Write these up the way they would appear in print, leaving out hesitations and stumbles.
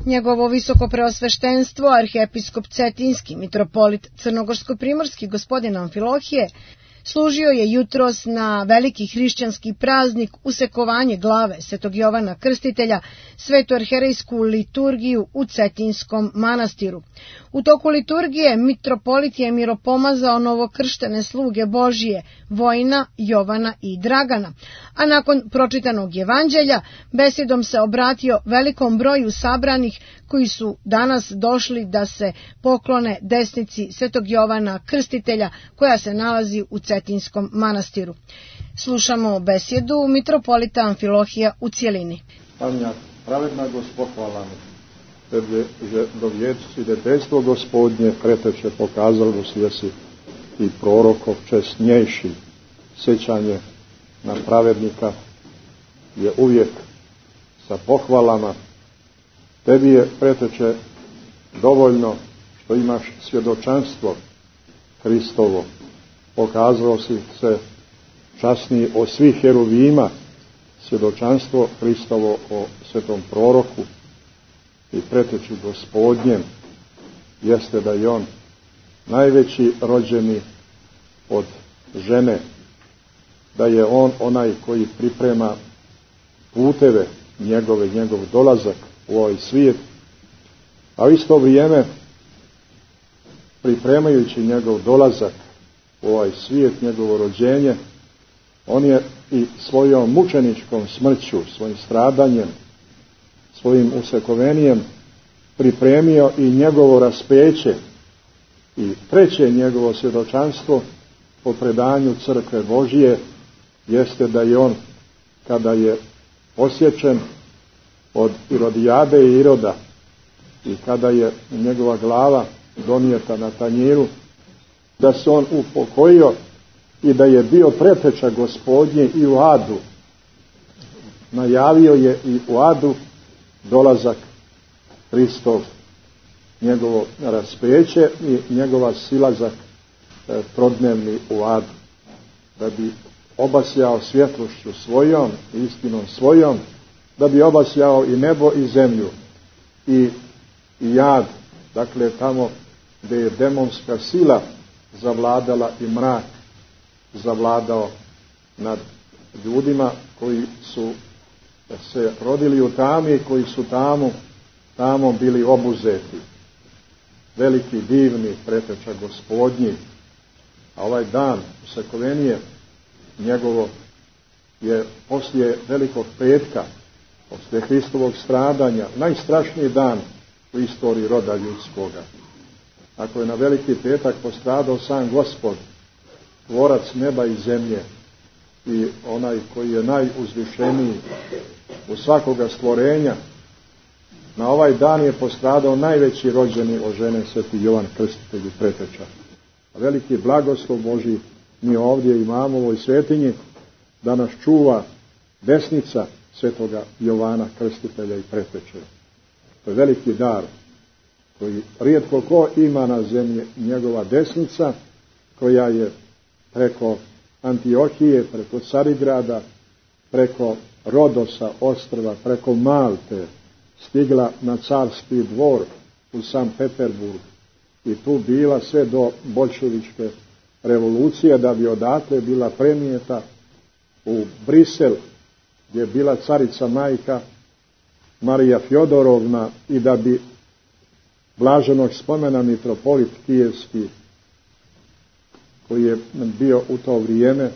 Njegovo visoko preosveštenstvo, arhiepiskop Cetinski, mitropolit crnogorsko-primorski gospodin Amfilohije, služio je jutros na veliki hrišćanski praznik usekovanje glave Svetog Jovana Krstitelja, svetu arherejsku liturgiju u Cetinskom manastiru. U toku liturgije mitropolit je miropomazao novokrštene sluge Božije, Vojina, Jovana i Dragana, a nakon pročitanog evanđelja besedom se obratio velikom broju sabranih koji su danas došli da se poklone desnici Svetog Jovana Krstitelja koja se nalazi u Cetinskom manastiru. Slušamo besjedu mitropolita Amfilohija u cijelini. Anja, pravedna Gospod, hvala mi. Tebe že do svidetejstvo Gospodnje preteče pokazalo da si i prorokov česnjejši. Sjećanje na pravednika je uvijek sa pohvalama. Tebi je preteče dovoljno što imaš svjedočanstvo Hristovo. Pokazalo si se časniji od svih heruvima, svjedočanstvo Hristovo o svetom proroku i preteči Gospodnjem jeste da je on najveći rođeni od žene, da je on onaj koji priprema puteve njegov dolazak u ovaj svijet, a u isto vrijeme pripremajući njegov dolazak u ovaj svijet, njegovo rođenje, on je i svojom mučeničkom smrću, svojim stradanjem, svojim usekovenijem pripremio i njegovo raspeće i treće njegovo svjedočanstvo po predanju Crkve Božije jeste da je on, kada je posječen od Irodijade i Iroda i kada je njegova glava donijeta na tanjiru, da se on upokojio i da je bio preteča Gospodnje i u adu. Najavio je i u adu dolazak Hristov, njegovo raspeće i njegova silazak trodnevni u adu, da bi obasjao svjetlošću svojom, istinom svojom, da bi obasjao i nebo i zemlju i jad, dakle tamo gdje je demonska sila zavladala i mrak zavladao nad ljudima koji su se rodili u tami, koji su tamo bili obuzeti. Veliki, divni preteča Gospodnji, a ovaj dan usekovenije njegovo je poslije Velikog petka, poslije Hristovog stradanja, najstrašniji dan u istoriji roda ljudskoga. Ako je na Veliki petak postradao sam Gospod, tvorac neba i zemlje i onaj koji je najuzvišeniji u svakoga stvorenja, na ovaj dan je postradao najveći rođeni od žene Sveti Jovan Krstitelj i preteča. A veliki blagoslov Božji mi ovdje imamo u ovoj svetinji da nas čuva desnica Svetoga Jovana Krstitelja i preteče. To je veliki dar koji rijetko ko ima na zemlji, njegova desnica koja je preko Antiohije, preko Carigrada, preko Rodosa ostrva, preko Malte stigla na carski dvor u Sankt Peterburg i tu bila sve do boljševičke revolucije, da bi odatle bila prenijeta u Brisel gdje je bila carica majka Marija Fjodorovna i da bi blaženog spomena mitropolit kijevski koji je bio u to vrijeme,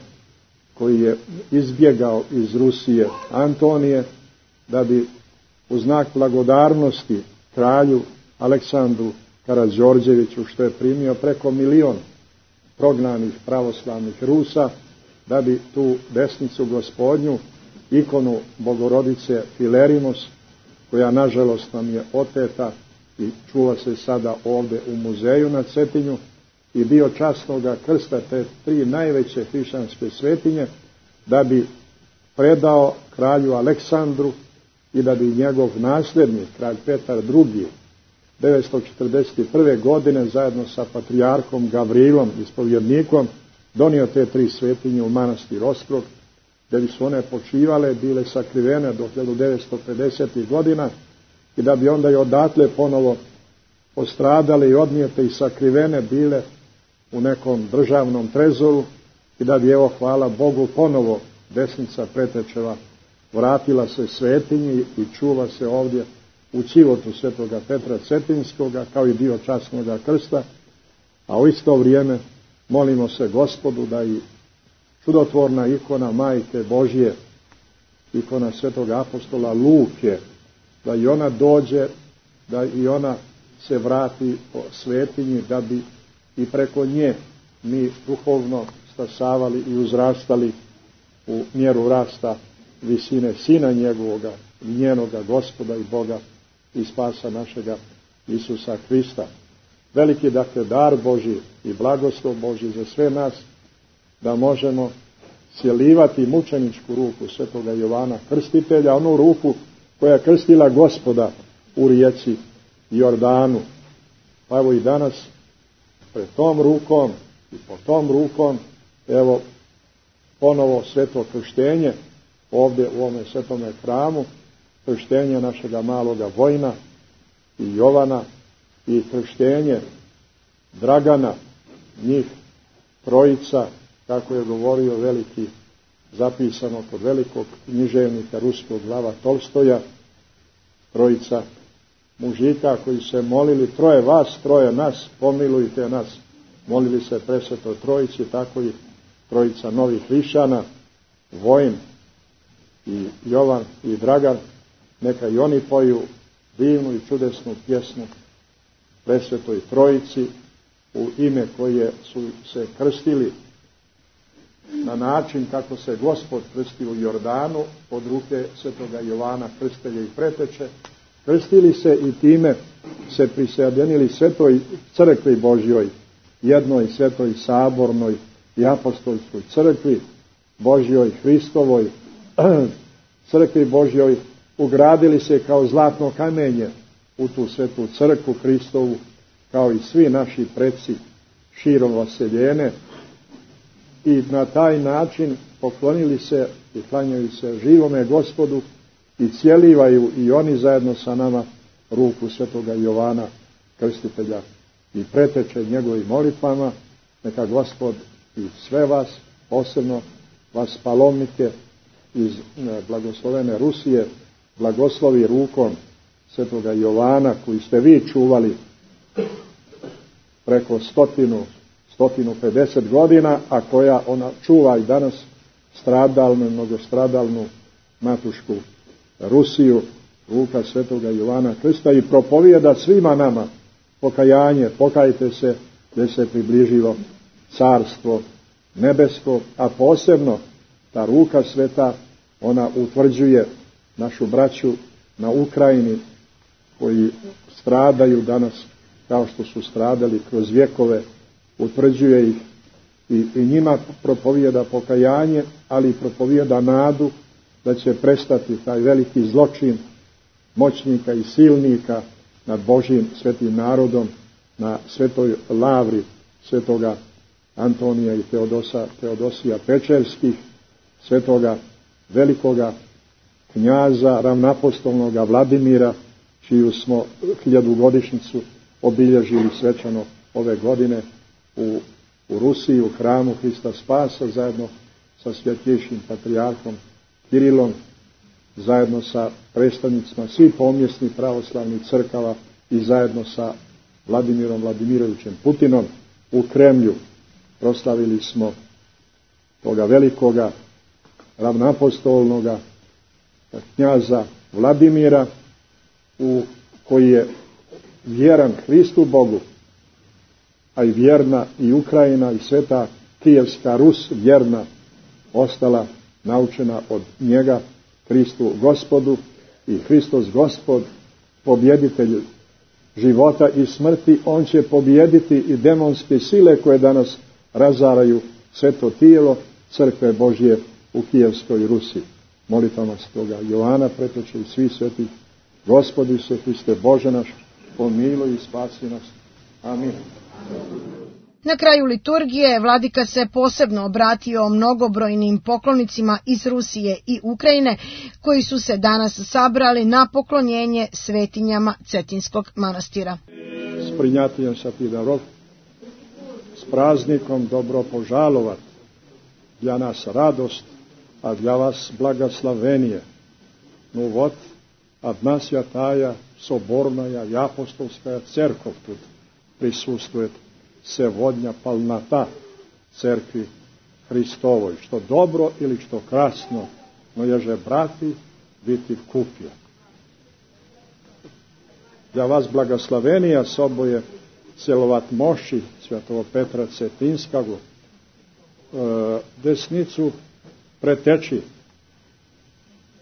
koji je izbjegao iz Rusije Antonije, da bi u znak blagodarnosti kralju Aleksandru Karađorđeviću, što je primio preko 1 milion prognanih pravoslavnih Rusa, da bi tu desnicu Gospodnju, ikonu Bogorodice Filerimos, koja nažalost nam je oteta i čuva se sada ovdje u muzeju na Cetinju, i dio časnoga krsta te 3 najveće hrišćanske svetinje, da bi predao kralju Aleksandru i da bi njegov nasljednik, kralj Petar II, 941. godine zajedno sa patrijarhom Gavrilom, ispovjednikom, donio te 3 svetinje u manastir Osprog, gdje bi su one počivale, bile sakrivene do 1950. godina, i da bi onda i odatle ponovo postradale i odnijete i sakrivene bile u nekom državnom trezoru i da bi, evo, hvala Bogu, ponovo desnica Pretečeva vratila se svetinji i čuva se ovdje u Civotu svetoga Petra Cetinskoga kao i dio časnoga krsta, a u isto vrijeme molimo se Gospodu da i čudotvorna ikona Majke Božje, ikona svetoga apostola Luke, da i ona dođe, da i ona se vrati po svetinji, da bi i preko nje mi duhovno stasavali i uzrastali u mjeru rasta visine Sina njegovoga, njenoga Gospoda i Boga i spasa našega Isusa Hrista. Veliki, dakle, dar Božji i blagoslov Božji za sve nas, da možemo sjelivati mučeničku ruku svetoga Jovana Krstitelja, onu ruku koja je krstila Gospoda u rijeci Jordanu. Pa evo i danas pred tom rukom i po tom rukom, evo, ponovo sveto krštenje ovdje u ovome svetome hramu, krštenje našega maloga Vojna i Jovana i krštenje Dragana, njih trojica, kako je govorio veliki, zapisano kod velikog književnika ruskog Lava Tolstoja, trojica mužika koji se molili, troje vas, troje nas, pomilujte nas, molili se presvetoj trojici, tako i trojica novih hrišćana, Vojn i Jovan i Dragan, neka i oni poju divnu i čudesnu pjesmu presvetoj trojici u ime koje su se krstili na način kako se Gospod krstio u Jordanu od ruke svetoga Jovana Krstitelja i Preteče. Krstili se i time se prisjedinili svetoj crkvi Božjoj, jednoj svetoj sabornoj i apostolskoj crkvi Božjoj Hristovoj, crkvi Božjoj, ugradili se kao zlatno kamenje u tu svetu crkvu Hristovu, kao i svi naši preci širom vaseljene, i na taj način poklonili se i klanjaju se živome Gospodu i cijelivaju i oni zajedno sa nama ruku svetoga Jovana Krstitelja i Preteče njegovim molitvama. Neka Gospod i sve vas, posebno vas palomnike iz blagoslovene Rusije, blagoslovi rukom svetoga Jovana koji ste vi čuvali preko 150 godina, a koja ona čuva i danas stradalnu, mnogostradalnu matušku Rusiju, ruka svetoga Jovana Krsta, i propovijeda svima nama pokajanje, pokajte se da se približilo carstvo nebesko, a posebno ta ruka sveta, ona utvrđuje našu braću na Ukrajini koji stradaju danas kao što su stradali kroz vjekove, utvrđuje ih i njima propovijeda pokajanje, ali propovijeda nadu da će prestati taj veliki zločin moćnika i silnika nad Božjim svetim narodom, na svetoj lavri svetoga Antonija i Teodosija Pečerskih, svetoga velikoga knjaza ravnapostolnoga Vladimira, čiju smo 1000-godišnjicu obilježili svečano ove godine u Rusiji, u hramu Hrista Spasa, zajedno sa svjetljejšim patrijarhom Kirilom, zajedno sa predstavnicima svih pomjesnih pravoslavnih crkava i zajedno sa Vladimirom Vladimirovićem Putinom u Kremlju. Proslavili smo toga velikoga ravnapostolnoga knjaza Vladimira, koji je vjeran Hristu Bogu, a i vjerna i Ukrajina i sveta Kijevska Rus vjerna ostala naučena od njega, Hristu Gospodu, i Hristos Gospod, pobjeditelj života i smrti, on će pobijediti i demonske sile koje danas razaraju sveto tijelo crkve Božje u Kijevskoj Rusi. Molitvama svetoga Jovana Preteče i svi svetih, Gospodi se Hriste Bože naš, pomiluj i spasi nas. Amin. Na kraju liturgije vladika se posebno obratio mnogobrojnim poklonicima iz Rusije i Ukrajine koji su se danas sabrali na poklonjenje svetinjama Cetinskog manastira. S принятием святых даров, с праздником добро пожаловать. Для нас радость, а для вас благословение. Ну вот, одна святая, соборная и апостольская церковь тут присутствует. Сегодня полнота церкви Христовой. Что добро или что красно, но еже брати biti купje. Для вас благословение особое целовать мощи святого Петра Cetinskog, desnicu preteči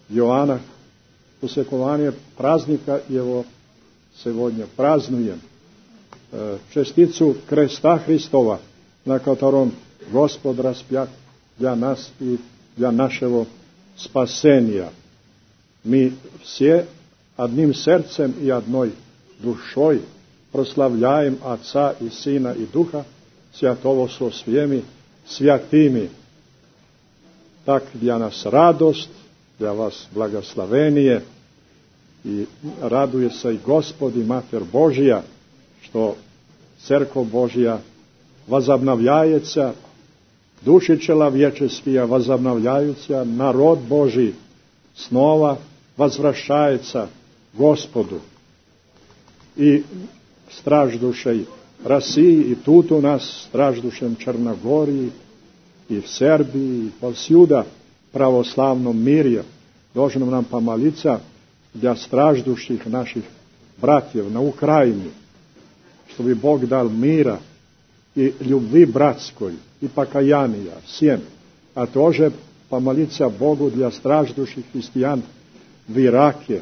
Joana. Усекование праздника его сегодня празднуем. Частицу креста Христова, на котором Господь распят для нас и для нашего спасения. Мы все одним сердцем и одной душой прославляем Отца и Сына и Духа Святого со всеми святыми. Так для нас радость, для вас благословение, и радуется и Господь, и Матерь Божья, что Церковь Божья возобновляется, души человеческие возобновляются, народ Божий снова возвращается к Господу. И страждущей России, и тут у нас страждущем Черногории, и в Сербии, и повсюду православном мире должен нам помолиться для страждущих наших братьев на Украине, чтобы Бог дал мира и любви братской, и покаяния всем, а тоже помолиться Богу для страждущих христиан в Ираке,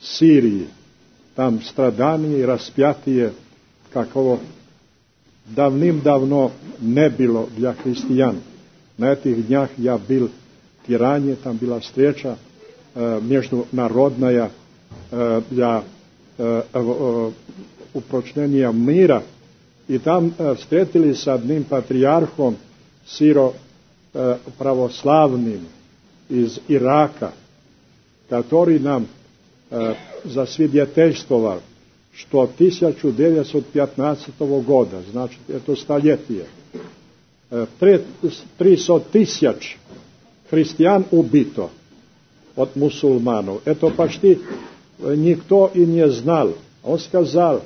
Сирии. Там страдания и распятие, какого давным-давно не было для христиан. На этих днях я был в Тиране, там была встреча международная для упрочнения мира, и там встретились с одним патриархом сиро-православным из Ирака, который нам засвидетельствовал, что 1915 года, значит, это столетие, 300 тысяч христиан убито от мусульманов. Это почти никто и не знал. Он сказал,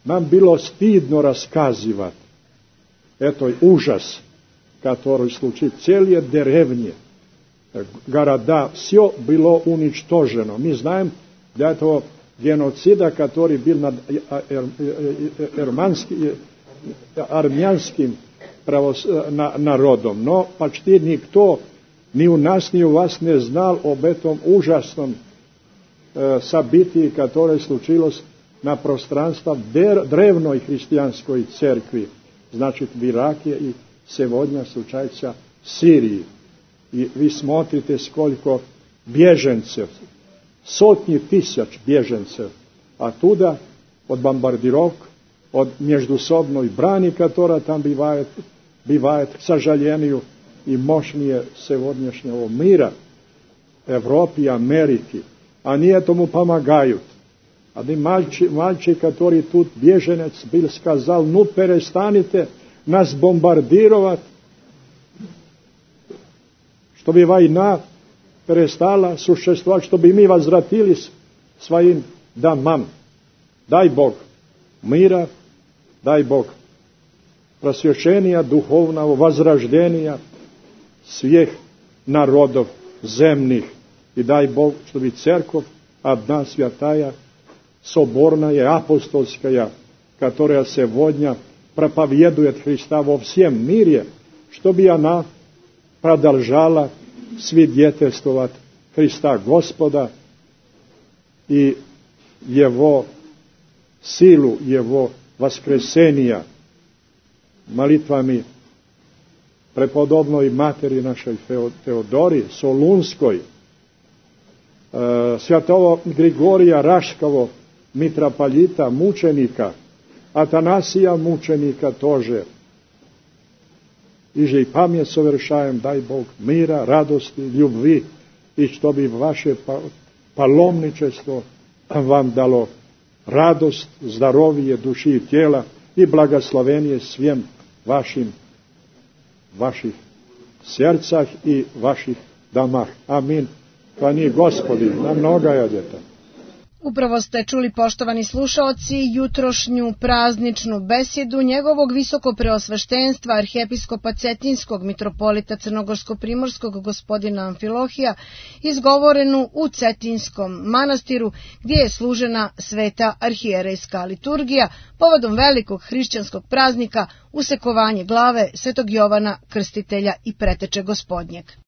нам было стыдно рассказывать этот ужас, который случился. Целые деревни, города, все было уничтожено. Мы знаем для этого геноцида, который был над армянским народом. Но почти никто, ни у нас, ни у вас не знал об этом ужасном событии, которое случилось на пространстве древней христианской церкви, значит, в Ираке, и сегодня случается в Сирии. И вы смотрите, сколько беженцев, сотни тысяч беженцев оттуда, от бомбардировок, от междусобной брани, которая там бывает, к сожалению, и мощнее сегодняшнего мира, Европы и Америки. Они этому помогают. Один мальчик, который тут беженец был, сказал, ну перестанете нас бомбардировать, чтобы война перестала существовать, чтобы мы возвратились к своим домам. Дай Бог мира, дай Бог просвещения духовного, возрождения всех народов земных. И дай Бог, чтобы церковь одна святая, соборная, апостольская, которая сегодня проповедует Христа во всем мире, чтобы она продолжала свидетельствовать Христа Господа и Его силу, Его воскресения молитвами преподобной матери нашей Феодории Солунской, святого Григория Рашского, митрополита, мученика, Атанасия мученика тоже, iže i pamet sovršajem, daj Bog mira, radosti, ljubvi i što bi vaše palomničestvo vam dalo radost, zdravije duši i tijela i blagoslovenje svim vaših srcah i vaših domah. Amin. Pani Gospodi, na mnoga jadjeta. Upravo ste čuli, poštovani slušaoci, jutrošnju prazničnu besjedu njegovog visokopreosveštenstva arhijepiskopa Cetinskog mitropolita Crnogorsko-primorskog gospodina Amfilohija, izgovorenu u Cetinskom manastiru gdje je služena sveta arhijerejska liturgija povodom velikog hrišćanskog praznika usekovanje glave Svetog Jovana Krstitelja i Preteče Gospodnjeg.